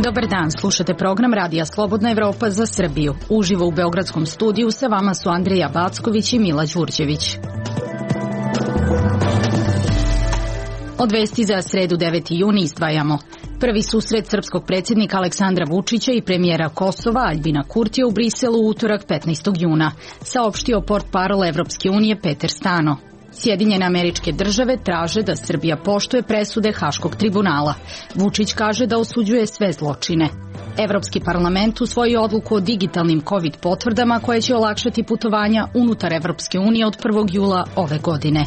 Dobar dan, slušate program Radija Slobodna Evropa za Srbiju. Uživo u Beogradskom studiju sa vama su Andreja Backović i Mila Đurđević. Od vesti za sredu 9. juni izdvajamo. Prvi susret srpskog predsjednika Aleksandra Vučića i premijera Kosova Aljbina Kurtija u Briselu u utorak 15. juna, saopštio portparol Evropske unije Peter Stano. Sjedinjene Američke Države traže da Srbija poštuje presude Haškog tribunala. Vučić kaže da osuđuje sve zločine. Evropski parlament usvojio odluku o digitalnim COVID potvrdama koje će olakšati putovanja unutar Evropske unije od 1. jula ove godine.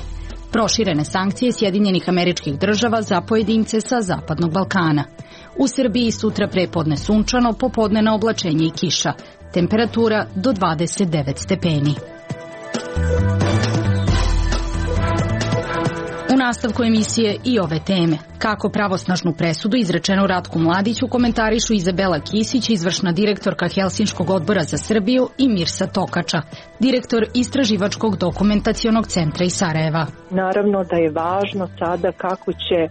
Proširene sankcije Sjedinjenih Američkih Država za pojedince sa Zapadnog Balkana. U Srbiji sutra prepodne sunčano, popodnevno oblačenje i kiša. Temperatura do 29 stepeni. U nastavku emisije i ove teme. Kako pravosnažnu presudu izrečenu Ratku Mladiću komentarišu Izabela Kisić, izvršna direktorka Helsinškog odbora za Srbiju, i Mirsa Tokača, direktor Istraživačkog dokumentacionog centra iz Sarajeva. Naravno da je važno sada kako će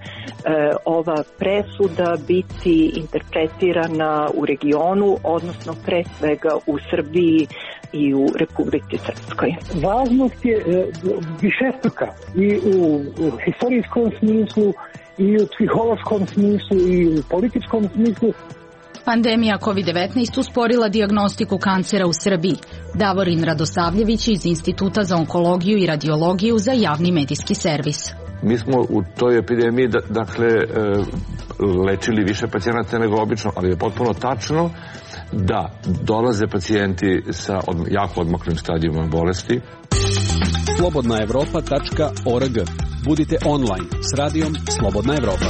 ova presuda biti interpretirana u regionu, odnosno pre svega u Srbiji i u Republici Srpskoj. Važnost je višestruka i u historijskom smislu, i u psihološkom smislu, i u političkom smislu. Pandemija COVID-19 usporila dijagnostiku kancera u Srbiji. Davorin Radosavljević iz Instituta za onkologiju i radiologiju za javni medijski servis. Mi smo u toj epidemiji lečili više pacijenata nego obično, ali je potpuno tačno da dolaze pacijenti sa jako odmaklim stadijima bolesti. slobodnaevropa.org. Budite online s radijom Slobodna Evropa.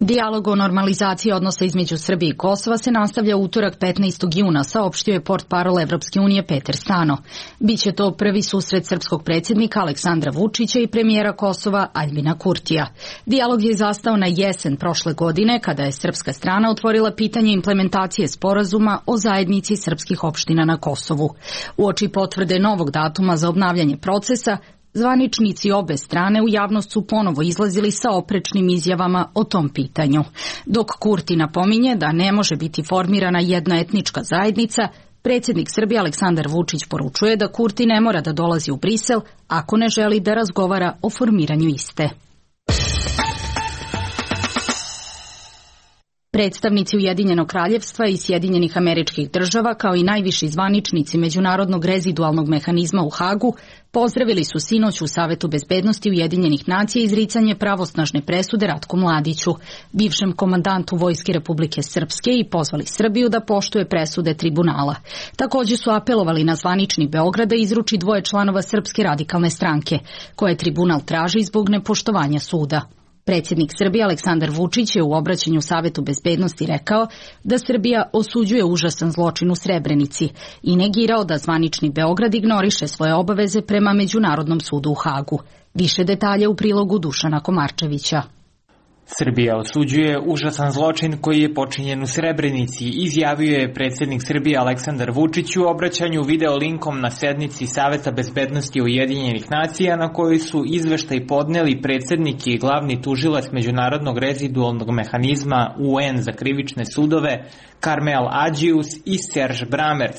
Dijalog o normalizaciji odnosa između Srbije i Kosova se nastavlja utorak 15. juna, saopštio je portparol Evropske unije Peter Stano. Biće to prvi susret srpskog predsjednika Aleksandra Vučića i premijera Kosova Aljbina Kurtija. Dijalog je zastao na jesen prošle godine, kada je srpska strana otvorila pitanje implementacije sporazuma o zajednici srpskih opština na Kosovu. Uoči potvrde novog datuma za obnavljanje procesa, zvaničnici obe strane u javnost su ponovo izlazili sa oprečnim izjavama o tom pitanju. Dok Kurti napominje da ne može biti formirana jedna etnička zajednica, predsjednik Srbije Aleksandar Vučić poručuje da Kurti ne mora da dolazi u Brisel ako ne želi da razgovara o formiranju iste. Predstavnici Ujedinjenog kraljevstva i Sjedinjenih Američkih Država, kao i najviši zvaničnici Međunarodnog rezidualnog mehanizma u Hagu, pozdravili su sinoć u Savetu bezbednosti Ujedinjenih nacija izricanje pravosnažne presude Ratku Mladiću, bivšem komandantu Vojske Republike Srpske, i pozvali Srbiju da poštuje presude tribunala. Također su apelovali na zvanični Beograd da izruči 2 članova Srpske radikalne stranke, koje tribunal traži zbog nepoštovanja suda. Predsjednik Srbije Aleksandar Vučić je u obraćanju Savetu bezbednosti rekao da Srbija osuđuje užasan zločin u Srebrenici i negirao da zvanični Beograd ignoriše svoje obaveze prema Međunarodnom sudu u Hagu. Više detalja u prilogu Dušana Komarčevića. Srbija osuđuje užasan zločin koji je počinjen u Srebrenici, izjavio je predsjednik Srbije Aleksandar Vučić u obraćanju video linkom na sednici Saveta bezbednosti Ujedinjenih nacija, na kojoj su izveštaj podneli predsjednik i glavni tužilac Međunarodnog rezidualnog mehanizma UN za krivične sudove Karmel Adžius i Serž Bramerc.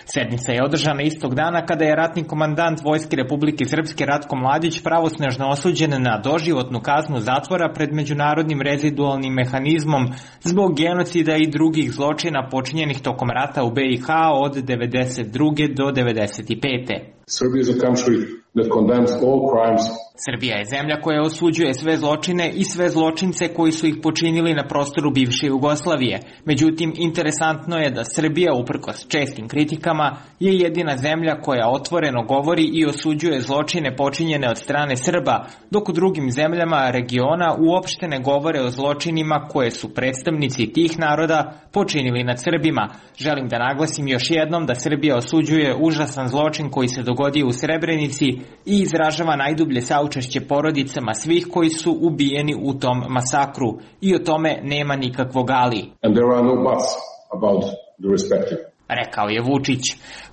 Sednica je održana istog dana kada je ratni komandant Vojske Republike Srpske Ratko Mladić pravosnažno osuđen na doživotnu kaznu zatvora pred Međunarodnim rezidualnim mehanizmom zbog genocida i drugih zločina počinjenih tokom rata u BiH od 1992. do 1995. Serbia is a country that condemns all crimes. Srbija je zemlja koja osuđuje sve zločine i sve zločince koji su ih počinili na prostoru bivše Jugoslavije. Međutim, interesantno je da Srbija, uprkos čestim kritikama, je jedina zemlja koja otvoreno govori i osuđuje zločine počinjene od strane Srba, dok u drugim zemljama regiona uopšte ne govore o zločinima koje su predstavnici tih naroda počinili nad Srbima. Želim da naglasim još jednom da Srbija osuđuje užasan zločin koji se dogodio u Srebrenici i izražava najdublje saučešće porodicama svih koji su ubijeni u tom masakru. I o tome nema nikakvog ali. And there are no buts. about the respective. Rekao je Vučić.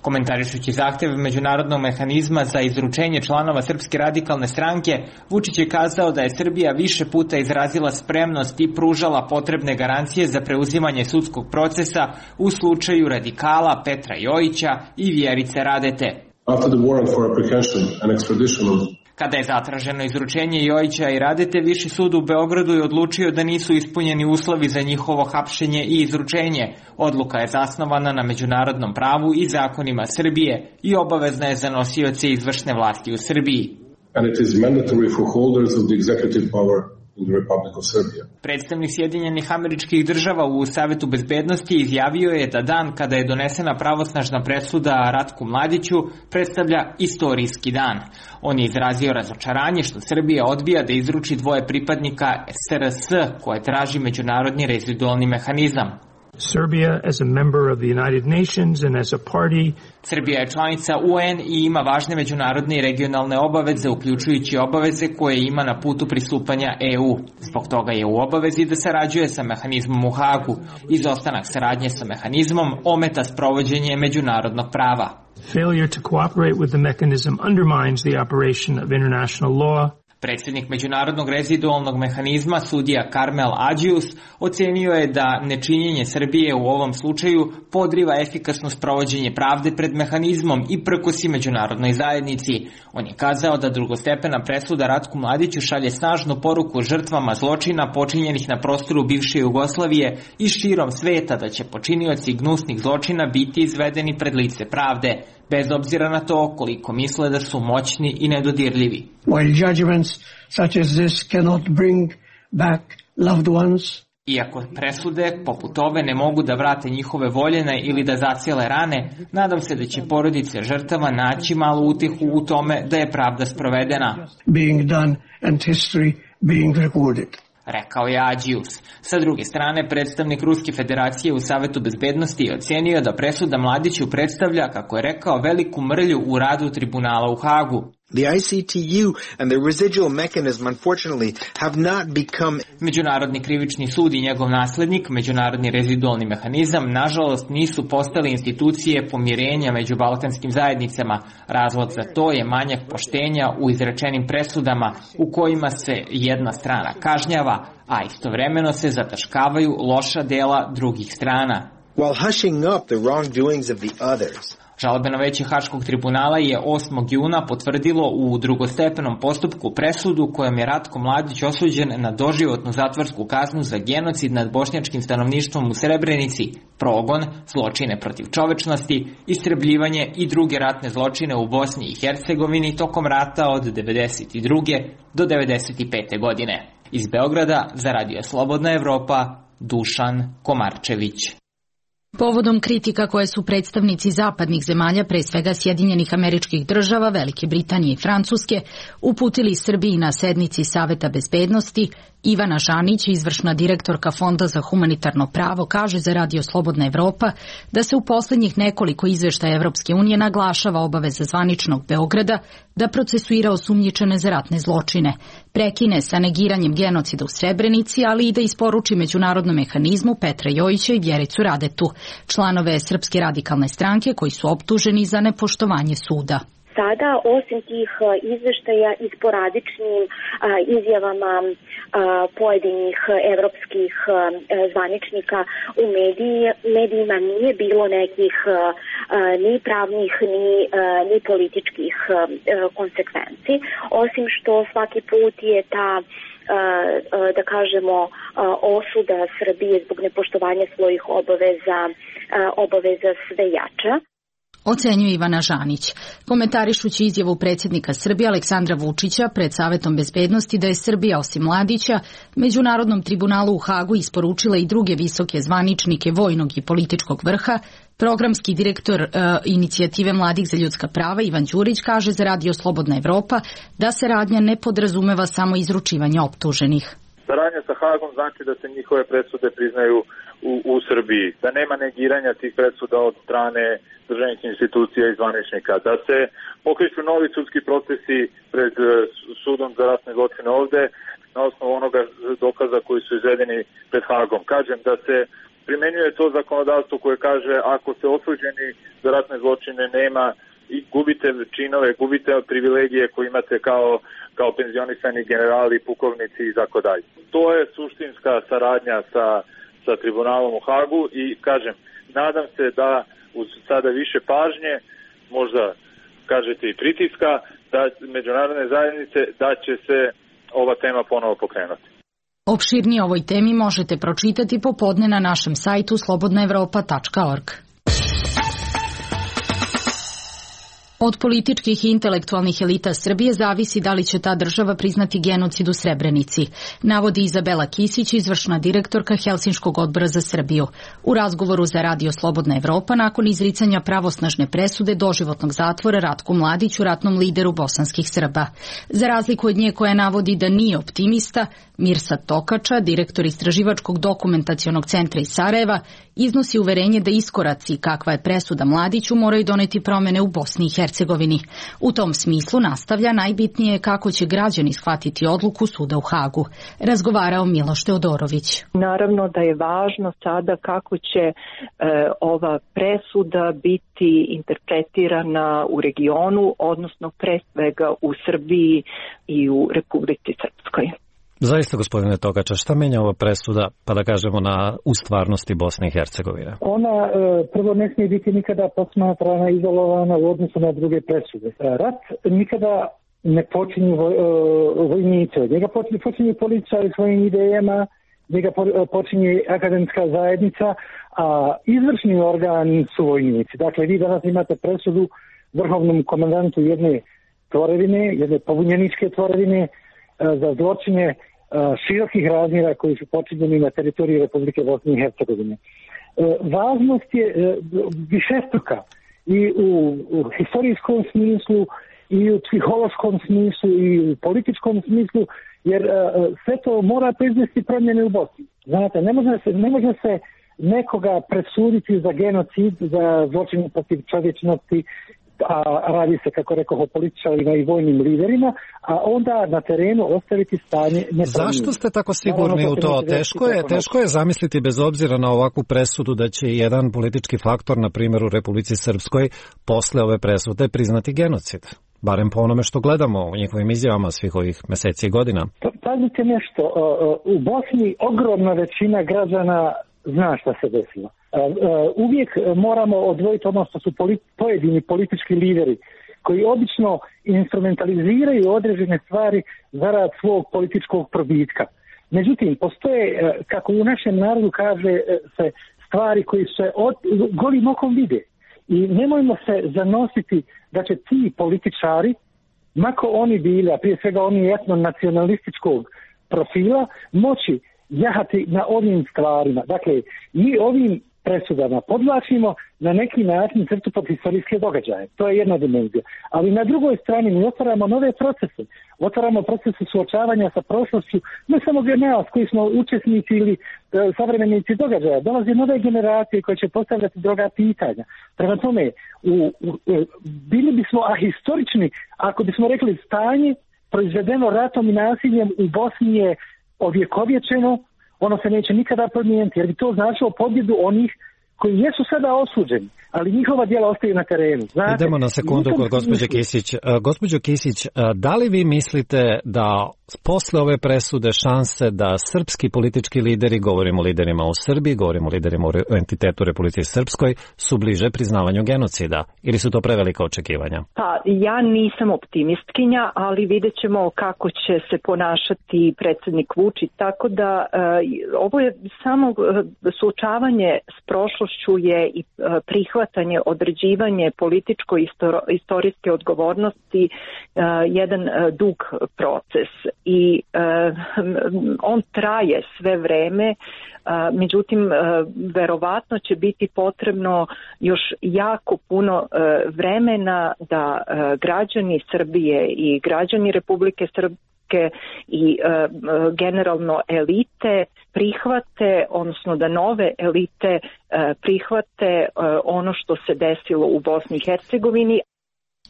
Komentarišući zahtev međunarodnog mehanizma za izručenje članova Srpske radikalne stranke, Vučić je kazao da je Srbija više puta izrazila spremnost i pružala potrebne garancije za preuzimanje sudskog procesa u slučaju radikala Petra Jojića i Vjerice Radete. After the warrant for apprehension and extradition of Kada je zatraženo izručenje Jojića i Radete, Viši sud u Beogradu je odlučio da nisu ispunjeni uslovi za njihovo hapšenje i izručenje. Odluka je zasnovana na međunarodnom pravu i zakonima Srbije i obavezna je za nosioce izvršne vlasti u Srbiji. And it is mandatory for holders of the executive power in the Republic of Serbia. Predstavnik Sjedinjenih Američkih Država u Savetu bezbednosti izjavio je da dan kada je donesena pravosnažna presuda Ratku Mladiću predstavlja istorijski dan. On je izrazio razočaranje što Srbija odbija da izruči dvoje pripadnika SRS koje traži međunarodni rezidualni mehanizam. Serbia as a member of the United Nations and as a party. Srbija je članica UN i ima važne međunarodne i regionalne obaveze, uključujući obaveze koje ima na putu pristupanja EU. Zbog toga je u obavezi da sarađuje sa mehanizmom u Hagu. Izostanak saradnje sa mehanizmom ometa sprovođenje međunarodnog prava. Failure to cooperate with the mechanism undermines the operation of international law. Predsjednik međunarodnog rezidualnog mehanizma, sudija Karmel Adžius, ocenio je da nečinjenje Srbije u ovom slučaju podriva efikasno sprovođenje pravde pred mehanizmom i prkosi međunarodnoj zajednici. On je kazao da drugostepena presuda Ratku Mladiću šalje snažnu poruku žrtvama zločina počinjenih na prostoru bivše Jugoslavije i širom sveta da će počinioci gnusnih zločina biti izvedeni pred lice pravde, bez obzira na to koliko misle da su moćni i nedodirljivi. While judgments such as this cannot bring back loved ones, iako presude poput ove ne mogu da vrate njihove voljene ili da zacijele rane, nadam se da će porodice žrtava naći malu utehu u tome da je pravda sprovedena. Being done and history being recorded. Rekao je Adžius. Sa druge strane, predstavnik Ruske federacije u Savetu bezbednosti je ocenio da presuda Mladiću predstavlja, kako je rekao, veliku mrlju u radu tribunala u Hagu. The ICTU and the residual mechanism unfortunately have not become... Međunarodni krivični sud i njegov naslednik, međunarodni rezidualni mehanizam, nažalost nisu postali institucije pomirenja među balkanskim zajednicama. Razlog za to je manjak poštenja u izrečenim presudama u kojima se jedna strana kažnjava, a istovremeno se zataškavaju loša dela drugih strana. While hushing up the wrongdoings of the others. Žalbeno veće Haškog tribunala je 8. juna potvrdilo u drugostepenom postupku presudu kojom je Ratko Mladić osuđen na doživotnu zatvorsku kaznu za genocid nad bošnjačkim stanovništvom u Srebrenici, progon, zločine protiv čovečnosti, istrebljivanje i druge ratne zločine u Bosni i Hercegovini tokom rata od 1992. do 1995. godine. Iz Beograda za Radio Slobodna Evropa, Dušan Komarčević. Povodom kritika koje su predstavnici zapadnih zemalja, pre svega Sjedinjenih Američkih Država, Velike Britanije i Francuske, uputili Srbiji na sednici Saveta bezbednosti, Ivana Žanić, izvršna direktorka Fonda za humanitarno pravo, kaže za Radio Slobodna Evropa da se u poslednjih nekoliko izveštaja Evropske unije naglašava obaveza zvaničnog Beograda da procesuira osumnjičene za ratne zločine, prekine sa negiranjem genocida u Srebrenici, ali i da isporuči međunarodnom mehanizmu Petra Jojića i Vjericu Radetu, članove Srpske radikalne stranke koji su optuženi za nepoštovanje suda. Sada, osim tih izveštaja i sporadičnim izjavama pojedinih evropskih zvaničnika u medijima nije bilo nekih ni pravnih ni političkih konsekvenci, osim što svaki put je ta da kažemo osuda Srbije zbog nepoštovanja svojih obaveza sve jača. Ocenjuje Ivana Žanić, komentarišući izjavu predsjednika Srbije Aleksandra Vučića pred Savetom bezbednosti da je Srbija osim Mladića Međunarodnom tribunalu u Hagu isporučila i druge visoke zvaničnike vojnog i političkog vrha. Programski direktor inicijative Mladih za ljudska prava Ivan Đurić kaže za Radio Slobodna Evropa da se radnja ne podrazumeva samo izručivanje optuženih. Saradnja sa Hagom znači da se njihove presude priznaju u Srbiji, da nema negiranja tih presuda od strane državnih institucija i zvaničnika, da se pokreću novi sudski procesi pred sudom za ratne zločine ovde na osnovu onoga dokaza koji su izvedeni pred Hagom. Kažem da se primenjuje to zakonodavstvo koje kaže ako se osuđeni za ratne zločine nema i gubite činove, gubite privilegije koje imate kao penzionisani generali, pukovnici i tako dalje. To je suštinska saradnja sa tribunalom u Hagu i kažem, nadam se da uz sada više pažnje, možda kažete i pritiska, da međunarodne zajednice, da će se ova tema ponovo pokrenuti. Opširnije o ovoj temi možete pročitati popodne na našem sajtu slobodnaevropa.org. Od političkih i intelektualnih elita Srbije zavisi da li će ta država priznati genocid u Srebrenici, navodi Izabela Kisić, izvršna direktorka Helsinškog odbora za Srbiju. U razgovoru za Radio Slobodna Evropa nakon izricanja pravosnažne presude doživotnog zatvora Ratku Mladiću, ratnom lideru bosanskih Srba. Za razliku od nje koja navodi da nije optimista, Mirsad Tokača, direktor Istraživačkog dokumentacionog centra iz Sarajeva, iznosi uverenje da iskoraci kakva je presuda Mladiću moraju doneti promene u Bosni i Hercegovini. U tom smislu, nastavlja, najbitnije je kako će građani shvatiti odluku suda u Hagu. Razgovarao Miloš Teodorović. Naravno da je važno sada kako će ova presuda biti interpretirana u regionu, odnosno pre svega u Srbiji i u Republici Srpskoj. Zaista, gospodine Tokača, šta menja ova presuda, pa da kažemo, u stvarnosti Bosne i Hercegovine? Ona prvo ne smije biti nikada posmatrana, izolovana u odnosu na druge presude. Rat nikada ne počinju vojnici, njega počinju političari svojim idejama, njega počinje akademska zajednica, a izvršni organ su vojnici. Dakle, vi danas imate presudu vrhovnom komandantu jedne tvorevine, jedne pobunjeničke tvorevine, za zločine širokih razmjera koji su počinjeni na teritoriji Republike Bosne i Hercegovine. Važnost je višestruka i u historijskom smislu, i u psihološkom smislu, i u političkom smislu, jer sve to mora proizvesti promjene u Bosni. Znate, ne može se nekoga presuditi za genocid, za zločine protiv čovječnosti, a radi se, kako rekao, o političarima i vojnim liderima, a onda na terenu ostaviti stanje nepromijenjeno. Zašto ste tako sigurni u to? Teško je zamisliti, bez obzira na ovakvu presudu, da će jedan politički faktor, na primjer u Republici Srpskoj, posle ove presude priznati genocid. Barem po onome što gledamo u njihovim izjavama svih ovih meseci i godina. Pazite nešto, u Bosni ogromna većina građana zna šta se desilo. Uvijek moramo odvojiti ono što su pojedini politički lideri koji obično instrumentaliziraju određene stvari zarad svog političkog probitka. Međutim, postoje, kako u našem narodu kaže se, stvari koji se golim okom vide. I nemojmo se zanositi da će ti političari, mako oni bili, a prije svega oni etno-nacionalističkog profila, moći jahati na ovim stvarima. Dakle, mi ovim presudama podvlačimo na neki način crtu pod historijske događaje. To je jedna dimenzija. Ali na drugoj strani mi otvaramo nove procese. Otvaramo procese suočavanja sa prošlošću, ne samo nas koji smo učesnici ili savremenici događaja. Dolaze nove generacije koje će postavljati druga pitanja. Prema tome, bili bismo ahistorični ako bismo rekli stanje proizvedeno ratom i nasiljem u Bosni je ovjekovječeno, ono se neće nikada promijeniti, jer bi to značilo pobjedu onih koji jesu sada osuđeni, ali njihova djela ostaju na terenu. Znate, idemo na sekundu kod gospođe Kisić. Gospođo Kisić, da li vi mislite da posle ove presude šanse da srpski politički lideri, govorimo o liderima u Srbiji, govorimo o liderima u entitetu Republike Srpskoj, su bliže priznavanju genocida? Ili su to prevelika očekivanja? Pa, ja nisam optimistkinja, ali vidjet ćemo kako će se ponašati predsjednik Vučić, tako da ovo je samo suočavanje s prošlošću je i prihvatanje, određivanje političko-istorijske odgovornosti jedan dug proces i on traje sve vreme, međutim verovatno će biti potrebno još jako puno vremena da građani Srbije i građani Republike Srpske i generalno elite prihvate, odnosno da nove elite prihvate ono što se desilo u Bosni i Hercegovini.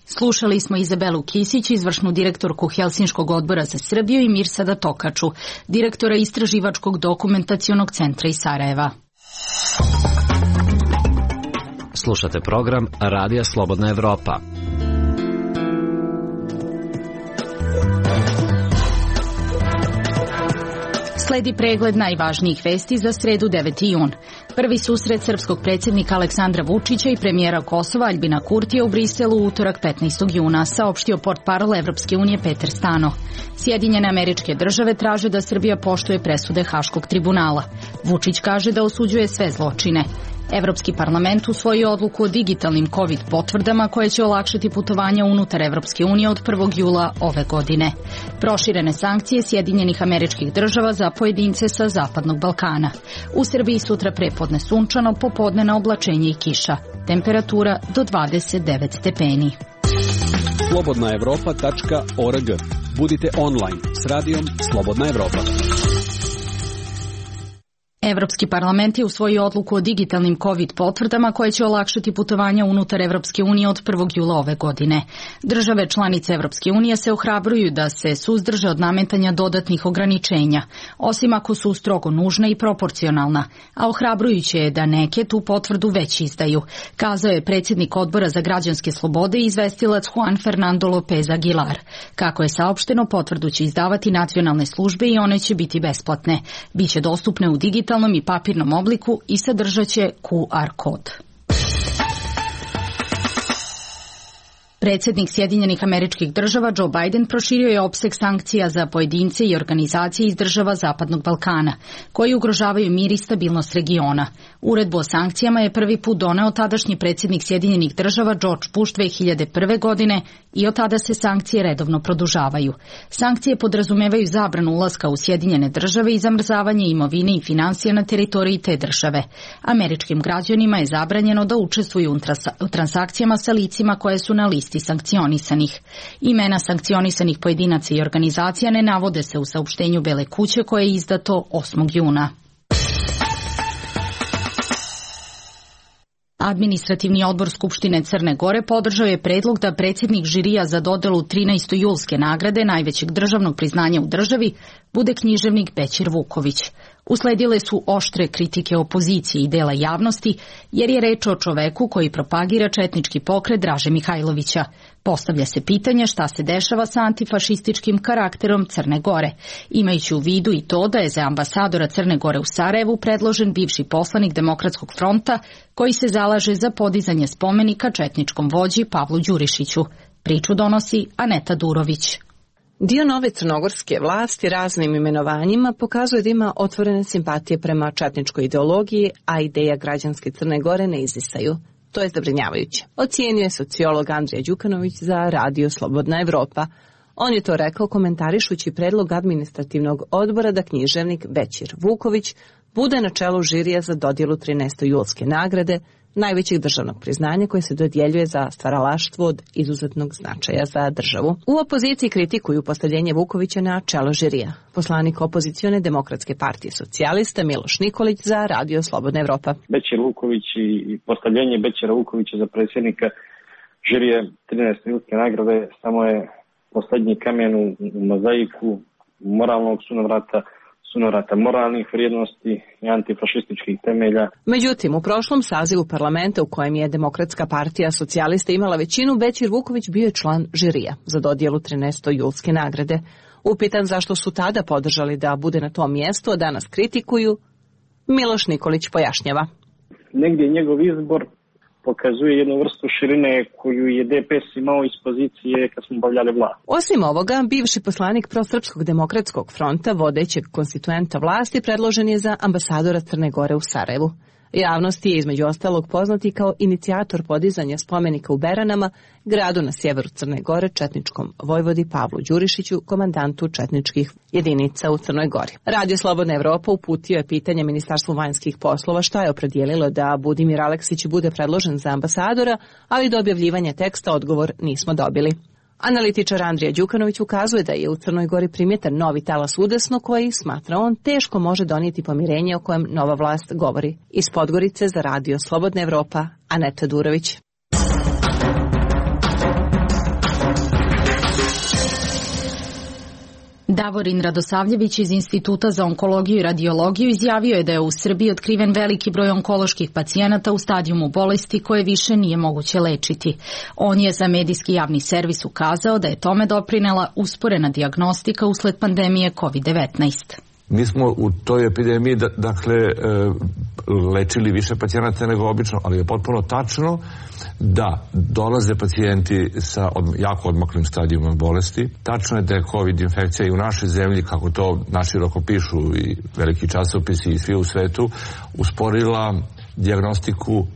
Slušali smo Izabelu Kisić, izvršnu direktorku Helsinškog odbora za Srbiju, i Mirsada Tokaču, direktora Istraživačkog dokumentacionog centra iz Sarajeva. Slušate program Radija Slobodna Evropa. Sledi pregled najvažnijih vesti za sredu 9. jun. Prvi susret srpskog predsjednika Aleksandra Vučića i premijera Kosova Aljbina Kurtija u Briselu u utorak 15. juna, saopštio portparol Evropske unije Peter Stano. Sjedinjene Američke Države traže da Srbija poštuje presude Haškog tribunala. Vučić kaže da osuđuje sve zločine. Evropski parlament usvojio odluku o digitalnim COVID potvrdama koje će olakšati putovanja unutar Evropske unije od 1. jula ove godine. Proširene sankcije Sjedinjenih Američkih Država za pojedince sa Zapadnog Balkana. U Srbiji sutra prepodne sunčano, popodne na oblačenje i kiša. Temperatura do 29 stepeni. slobodnaevropa.org. Budite online s radijom Slobodna Evropa. Evropski parlament je usvojio odluku o digitalnim COVID potvrdama koje će olakšati putovanja unutar Evropske unije od 1. jula ove godine. Države članice Evropske unije se ohrabruju da se suzdrže od nametanja dodatnih ograničenja, osim ako su strogo nužna i proporcionalna, a ohrabrujuće je da neke tu potvrdu već izdaju, kazao je predsjednik Odbora za građanske slobode i izvestilac Juan Fernando López Aguilar. Kako je saopšteno, potvrdu će izdavati nacionalne službe i one će biti besplatne. Biće dostupne u digitalnom i papirnom obliku i sadržaće QR kod. Predsjednik Sjedinjenih Američkih Država Joe Biden proširio je opseg sankcija za pojedince i organizacije iz država Zapadnog Balkana, koji ugrožavaju mir i stabilnost regiona. Uredbu o sankcijama je prvi put doneo tadašnji predsjednik Sjedinjenih Država George Bush 2001. godine i od tada se sankcije redovno produžavaju. Sankcije podrazumevaju zabranu ulaska u Sjedinjene Države i zamrzavanje imovine i financija na teritoriji te države. Američkim građanima je zabranjeno da učestvuju u transakcijama sa licima koje su na listi sankcionisanih. Imena sankcionisanih pojedinaca i organizacija ne navode se u saopštenju Bele kuće koje je izdato 8. juna. Administrativni odbor Skupštine Crne Gore podržao je predlog da predsjednik žirija za dodelu 13. julske nagrade, najvećeg državnog priznanja u državi, bude književnik Bećir Vuković. Usledile su oštre kritike opozicije i dela javnosti, jer je reč o čoveku koji propagira četnički pokret Draže Mihajlovića. Postavlja se pitanje šta se dešava sa antifašističkim karakterom Crne Gore, imajući u vidu i to da je za ambasadora Crne Gore u Sarajevu predložen bivši poslanik Demokratskog fronta koji se zalaže za podizanje spomenika četničkom vođi Pavlu Đurišiću. Priču donosi Aneta Durović. Dio nove crnogorske vlasti raznim imenovanjima pokazuje da ima otvorene simpatije prema četničkoj ideologiji, a ideja građanske Crne Gore ne izdisaju. To je zabrinjavajuće. Ocijenio je sociolog Andrija Đukanović za Radio Slobodna Evropa. On je to rekao komentarišući predlog administrativnog odbora da književnik Bećir Vuković bude na čelu žirija za dodjelu 13. julske nagrade, najvećeg državnog priznanja koje se dodjeljuje za stvaralaštvo od izuzetnog značaja za državu. U opoziciji kritikuju postavljenje Vukovića na čelo žirija. Poslanik opozicione Demokratske partije socijalista Miloš Nikolić za Radio Slobodna Evropa. Bećir Vuković i postavljenje Bećira Vukovića za predsjednika žirije 13. julske nagrade samo je poslednji kamen u mozaiku moralnog sunovrata moralnih vrijednosti i antifašističkih temelja. Međutim, u prošlom sazivu parlamenta u kojem je Demokratska partija socijalista imala većinu, Bećir Vuković bio je član žirija za dodjelu 13. julske nagrade. Upitan zašto su tada podržali da bude na tom mjestu, a danas kritikuju, Miloš Nikolić pojašnjava. Negdje njegov izbor pokazuje jednu vrstu širine koju je DPS imao iz pozicije kad smo obavljali vlast. Osim ovoga, bivši poslanik Prosrpskog demokratskog fronta, vodećeg konstituenta vlasti, predložen je za ambasadora Crne Gore u Sarajevu. Javnosti je između ostalog poznati kao inicijator podizanja spomenika u Beranama, gradu na sjeveru Crne Gore, četničkom vojvodi Pavlu Đurišiću, komandantu četničkih jedinica u Crnoj Gori. Radio Slobodna Evropa uputio je pitanje Ministarstvu vanjskih poslova šta je opredijelilo da Budimir Aleksić bude predložen za ambasadora, ali do objavljivanja teksta odgovor nismo dobili. Analitičar Andrija Đukanović ukazuje da je u Crnoj Gori primjetan novi talas udesno koji, smatra on, teško može donijeti pomirenje o kojem nova vlast govori. Iz Podgorice za Radio Slobodna Evropa, Aneta Durović. Davorin Radosavljević iz Instituta za onkologiju i radiologiju izjavio je da je u Srbiji otkriven veliki broj onkoloških pacijenata u stadijumu bolesti koje više nije moguće lečiti. On je za medijski javni servis ukazao da je tome doprinela usporena dijagnostika usled pandemije COVID-19. Mi smo u toj epidemiji, lečili više pacijenata nego obično, ali je potpuno tačno da dolaze pacijenti sa jako odmaklim stadijima bolesti. Tačno je da je COVID infekcija i u našoj zemlji, kako to naširoko pišu i veliki časopisi i svi u svetu, usporila dijagnostiku,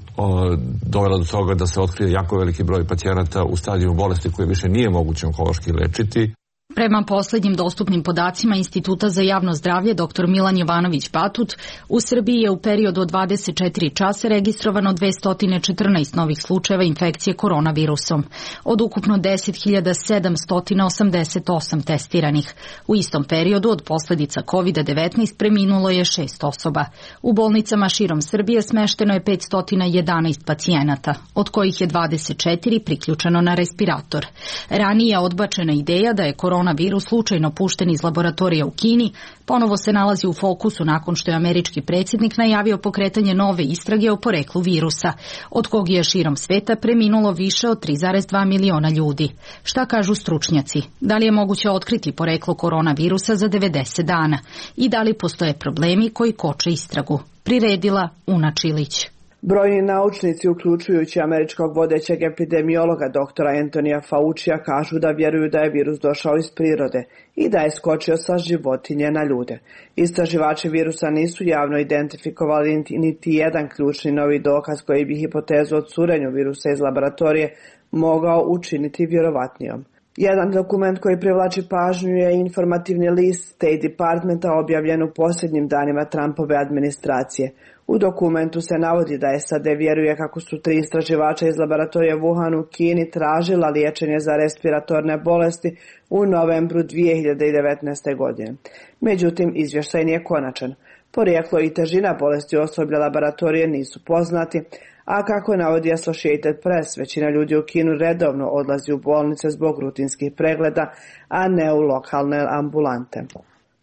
dovela do toga da se otkrije jako veliki broj pacijenata u stadijumu bolesti koje više nije moguće onkološki lečiti. Prema poslednjim dostupnim podacima Instituta za javno zdravlje dr. Milan Jovanović-Batut, u Srbiji je u periodu od 24 časa registrovano 214 novih slučajeva infekcije koronavirusom, od ukupno 10.788 testiranih. U istom periodu od posledica COVID-19 preminulo je 6 osoba. U bolnicama širom Srbije smešteno je 511 pacijenata, od kojih je 24 priključeno na respirator. Ranije je odbačena ideja da je koronavirus slučajno pušten iz laboratorija u Kini, ponovo se nalazi u fokusu nakon što je američki predsjednik najavio pokretanje nove istrage o poreklu virusa, od kog je širom sveta preminulo više od 3,2 miliona ljudi. Šta kažu stručnjaci? Da li je moguće otkriti poreklo koronavirusa za 90 dana? I da li postoje problemi koji koče istragu? Priredila Una Čilić. Brojni naučnici, uključujući američkog vodećeg epidemiologa doktora Antonija Faucija, kažu da vjeruju da je virus došao iz prirode i da je skočio sa životinje na ljude. Istraživači virusa nisu javno identifikovali niti jedan ključni novi dokaz koji bi hipotezu o curenju virusa iz laboratorije mogao učiniti vjerovatnijom. Jedan dokument koji privlači pažnju je informativni list State Departmenta objavljen u posljednjim danima Trumpove administracije. U dokumentu se navodi da SAD vjeruje kako su 3 istraživača iz laboratorija Wuhan u Kini tražila liječenje za respiratorne bolesti u novembru 2019. godine. Međutim, izvještaj nije konačan. Porijeklo i težina bolesti osoblja laboratorije nisu poznati, a kako navodi Associated Press, većina ljudi u Kinu redovno odlazi u bolnice zbog rutinskih pregleda, a ne u lokalne ambulante.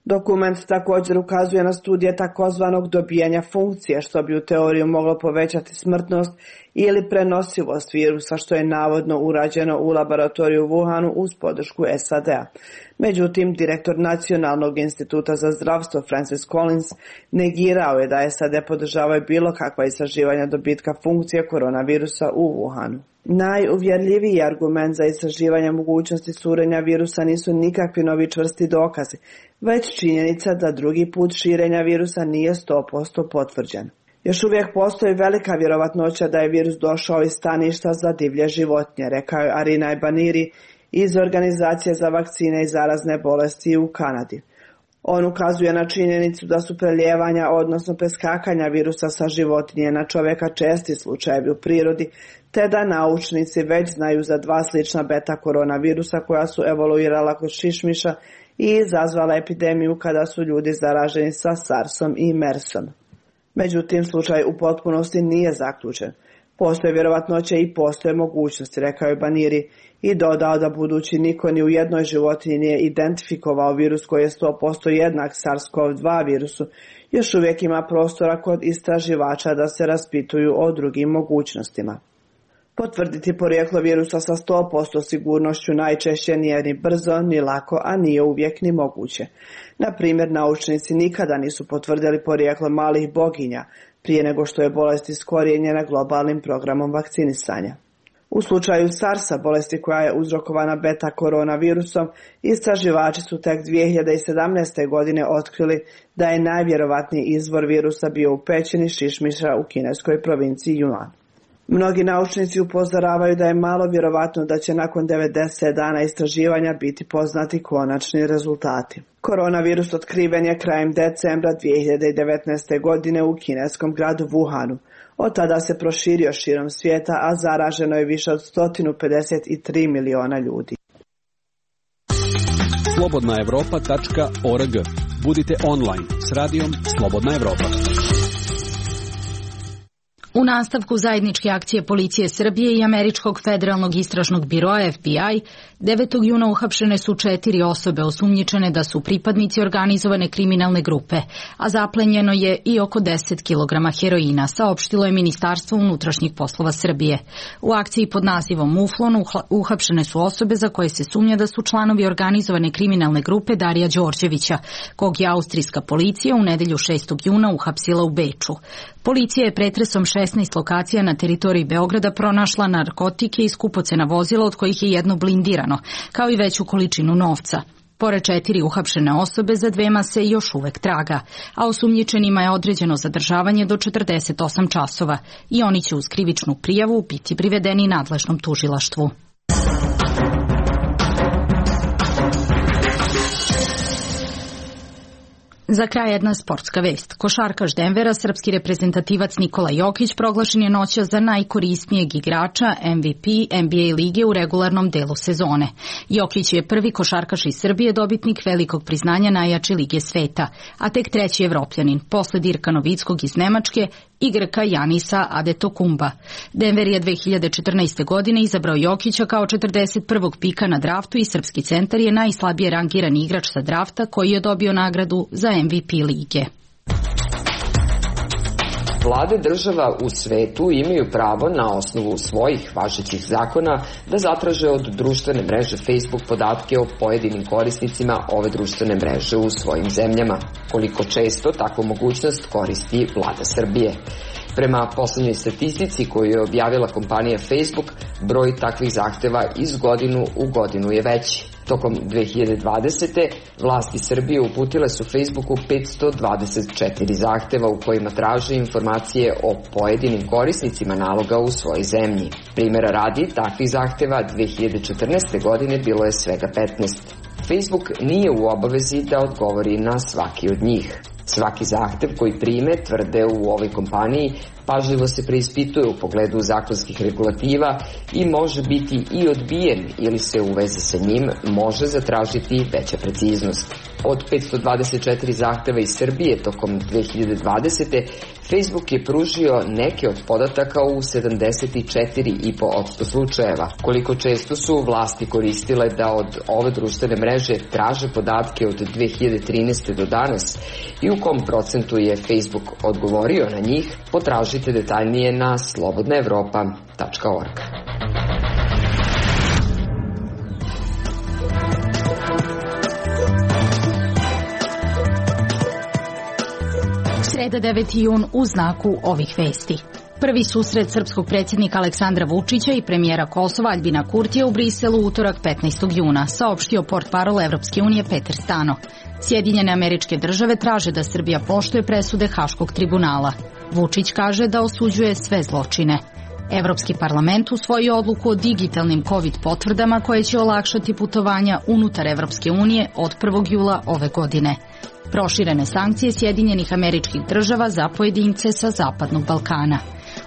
Dokument također ukazuje na studije takozvanog dobijanja funkcije, što bi u teoriju moglo povećati smrtnost ili prenosivost virusa, što je navodno urađeno u laboratoriju u Wuhanu uz podršku SAD-a. Međutim, direktor Nacionalnog instituta za zdravstvo Francis Collins negirao je da SAD podržavaju bilo kakva istraživanja dobitka funkcije koronavirusa u Wuhanu. Najuvjerljiviji argument za istraživanje mogućnosti curenja virusa nisu nikakvi novi čvrsti dokazi, već činjenica da drugi put širenja virusa nije 100% potvrđen. Još uvijek postoji velika vjerovatnoća da je virus došao iz staništa za divlje životinje, rekao je Arinaj Baniri iz Organizacije za vakcine i zarazne bolesti u Kanadi. On ukazuje na činjenicu da su prelijevanja, odnosno preskakanja virusa sa životinje na čovjeka česti slučajevi u prirodi, te da naučnici već znaju za 2 slična beta koronavirusa koja su evoluirala kod šišmiša i izazvala epidemiju kada su ljudi zaraženi sa SARS-om i MERS-om. Međutim, slučaj u potpunosti nije zaključen. Postoje vjerovatnoće i postoje mogućnosti, rekao je Baniri, i dodao da budući niko ni u jednoj životinji nije identifikovao virus koji je 100% jednak SARS-CoV-2 virusu, još uvijek ima prostora kod istraživača da se raspituju o drugim mogućnostima. Potvrditi porijeklo virusa sa 100% sigurnošću najčešće nije ni brzo, ni lako, a nije uvijek ni moguće. Na primjer, naučnici nikada nisu potvrdili porijeklo malih boginja prije nego što je bolest iskorijenjena globalnim programom vakcinisanja. U slučaju SARS-a, bolesti koja je uzrokovana beta koronavirusom, istraživači su tek 2017. godine otkrili da je najvjerovatniji izvor virusa bio u pećini šišmiša u kineskoj provinciji Yunnan. Mnogi naučnici upozoravaju da je malo vjerovatno da će nakon 90 dana istraživanja biti poznati konačni rezultati. Koronavirus otkriven je krajem decembra 2019. godine u kineskom gradu Wuhanu. Od tada se proširio širom svijeta, a zaraženo je više od 153 miliona ljudi. slobodnaevropa.org. Budite online s radijom Slobodna Evropa. U nastavku zajedničke akcije policije Srbije i Američkog federalnog istražnog biroa FBI, 9. juna uhapšene su 4 osobe osumnjičene da su pripadnici organizovane kriminalne grupe, a zaplenjeno je i oko 10 kg heroina, saopštilo je Ministarstvo unutrašnjih poslova Srbije. U akciji pod nazivom Muflon uhapšene su osobe za koje se sumnja da su članovi organizovane kriminalne grupe Darija Đorđevića, kog je austrijska policija u nedelju 6. juna uhapsila u Beču. Policija je pretresom 16 lokacija na teritoriji Beograda pronašla narkotike i skupocena vozila, od kojih je jedno blindirano, kao i veću količinu novca. Pored 4 uhapšene osobe, za 2 se još uvek traga, a osumnjičenima je određeno zadržavanje do 48 časova i oni će uz krivičnu prijavu biti privedeni nadležnom tužilaštvu. Za kraj jedna sportska vest. Košarkaš Denvera, srpski reprezentativac Nikola Jokić, proglašen je noćas za najkorisnijeg igrača MVP NBA lige u regularnom delu sezone. Jokić je prvi košarkaš iz Srbije, dobitnik velikog priznanja najjače lige sveta, a tek 3. Evropljanin, posle Dirka Novickog iz Nemačke i Grka Janisa Adetokumba. Denver je 2014. godine izabrao Jokića kao 41. pika na draftu i srpski centar je najslabije rangirani igrač sa drafta koji je dobio nagradu za MVP lige. Vlade država u svetu imaju pravo na osnovu svojih važećih zakona da zatraže od društvene mreže Facebook podatke o pojedinim korisnicima ove društvene mreže u svojim zemljama. Koliko često takvu mogućnost koristi vlada Srbije? Prema poslednjoj statistici koju je objavila kompanija Facebook, broj takvih zahteva iz godinu u godinu je veći. Tokom 2020. vlasti Srbije uputile su Facebooku 524 zahteva u kojima traže informacije o pojedinim korisnicima naloga u svojoj zemlji. Primera radi, takvih zahteva 2014. godine bilo je svega 15. Facebook nije u obavezi da odgovori na svaki od njih. Svaki zahtev koji prime, tvrde u ovoj kompaniji, pažljivo se preispituje u pogledu zakonskih regulativa i može biti i odbijen ili se u vezi sa njim može zatražiti veća preciznost. Od 524 zahteva iz Srbije tokom 2020. Facebook je pružio neke od podataka u 74,5% slučajeva. Koliko često su vlasti koristile da od ove društvene mreže traže podatke od 2013. do danas i u kom procentu je Facebook odgovorio na njih, potražite detaljnije na slobodnaevropa.org. Sreda 9. jun u znaku ovih vesti. Prvi susret srpskog predsjednika Aleksandra Vučića i premijera Kosova Aljbina Kurtija u Briselu utorak 15. juna, saopštio portparol Evropske unije Peter Stano. Sjedinjene Američke Države traže da Srbija poštuje presude Haškog tribunala. Vučić kaže da osuđuje sve zločine. Evropski parlament usvojio odluku o digitalnim COVID potvrdama koje će olakšati putovanja unutar Evropske unije od 1. jula ove godine. Proširene sankcije Sjedinjenih Američkih Država za pojedince sa Zapadnog Balkana.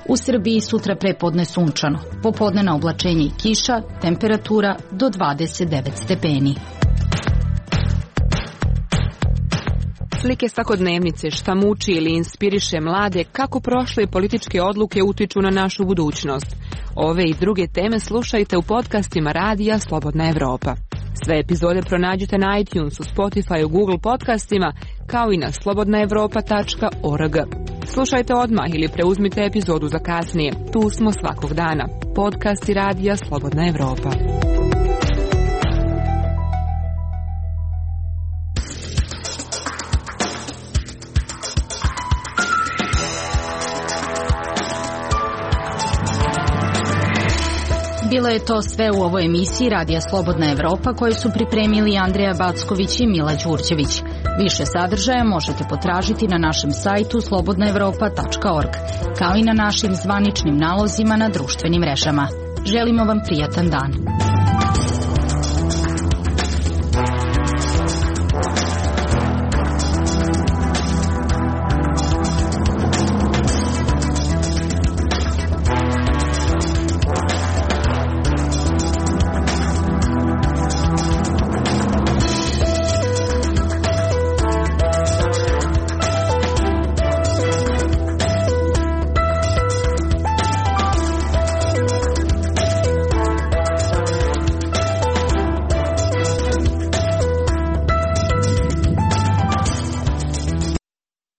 U Srbiji sutra prepodne sunčano, popodnevna oblačenje i kiša, temperatura do 29 stepeni. Slike svakodnevnice, šta muči ili inspiriše mlade, kako prošle političke odluke utiču na našu budućnost. Ove i druge teme slušajte u podcastima Radija Slobodna Evropa. Sve epizode pronađite na iTunesu, Spotifyu, Google podcastima, kao i na slobodnaevropa.org. Slušajte odmah ili preuzmite epizodu za kasnije. Tu smo svakog dana. Podcasti Radija Slobodna Evropa. Bilo je to sve u ovoj emisiji Radija Slobodna Evropa koju su pripremili Andreja Backović i Mila Đurđević. Više sadržaja možete potražiti na našem sajtu slobodnaevropa.org, kao i na našim zvaničnim nalozima na društvenim mrežama. Želimo vam prijatan dan.